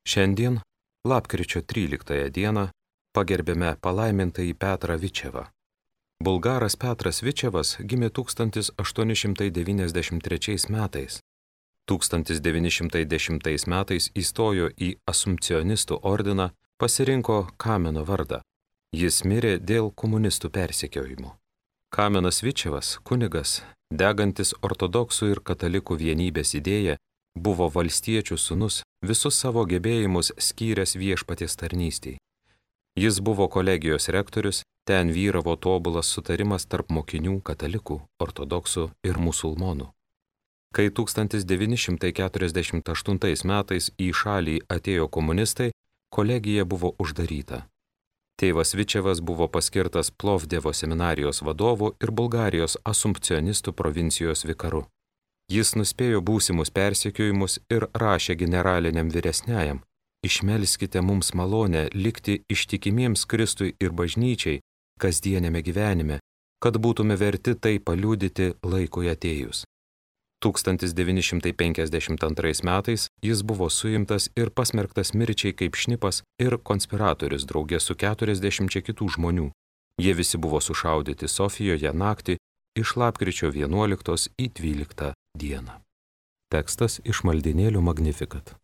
Šiandien, lapkričio 13 dieną, pagerbėme palaimintąjį Petrą Vičevą. Bulgaras Petras Vičevas gimė 1893 metais. 1910 metais įstojo į Asumpcionistų ordiną, pasirinko Kameno vardą. Jis mirė dėl komunistų persekiojimo. Kamenas Vičevas, kunigas, degantis ortodoksų ir katalikų vienybės idėją, buvo valstiečių sūnus, visus savo gebėjimus skyręs viešpaties tarnystei. Jis buvo kolegijos rektorius, ten vyravo tobulas sutarimas tarp mokinių katalikų, ortodoksų ir musulmonų. Kai 1948 metais į šalį atėjo komunistai, kolegija buvo uždaryta. Tėvas Vičevas buvo paskirtas Plovdevo seminarijos vadovu ir Bulgarijos Asumpcionistų provincijos vikaru. Jis nuspėjo būsimus persekiojimus ir rašė generaliniam vyresniajam: išmelskite mums malonę likti ištikimiems Kristui ir bažnyčiai kasdienėme gyvenime, kad būtume verti tai paliudyti laikui atėjus. 1952 metais jis buvo suimtas ir pasmerktas mirčiai kaip šnipas ir konspiratorius drauge su 40 kitų žmonių. Jie visi buvo sušaudyti Sofijoje naktį iš lapkričio 11 į 12 dieną. Tekstas iš maldynėlių Magnificat.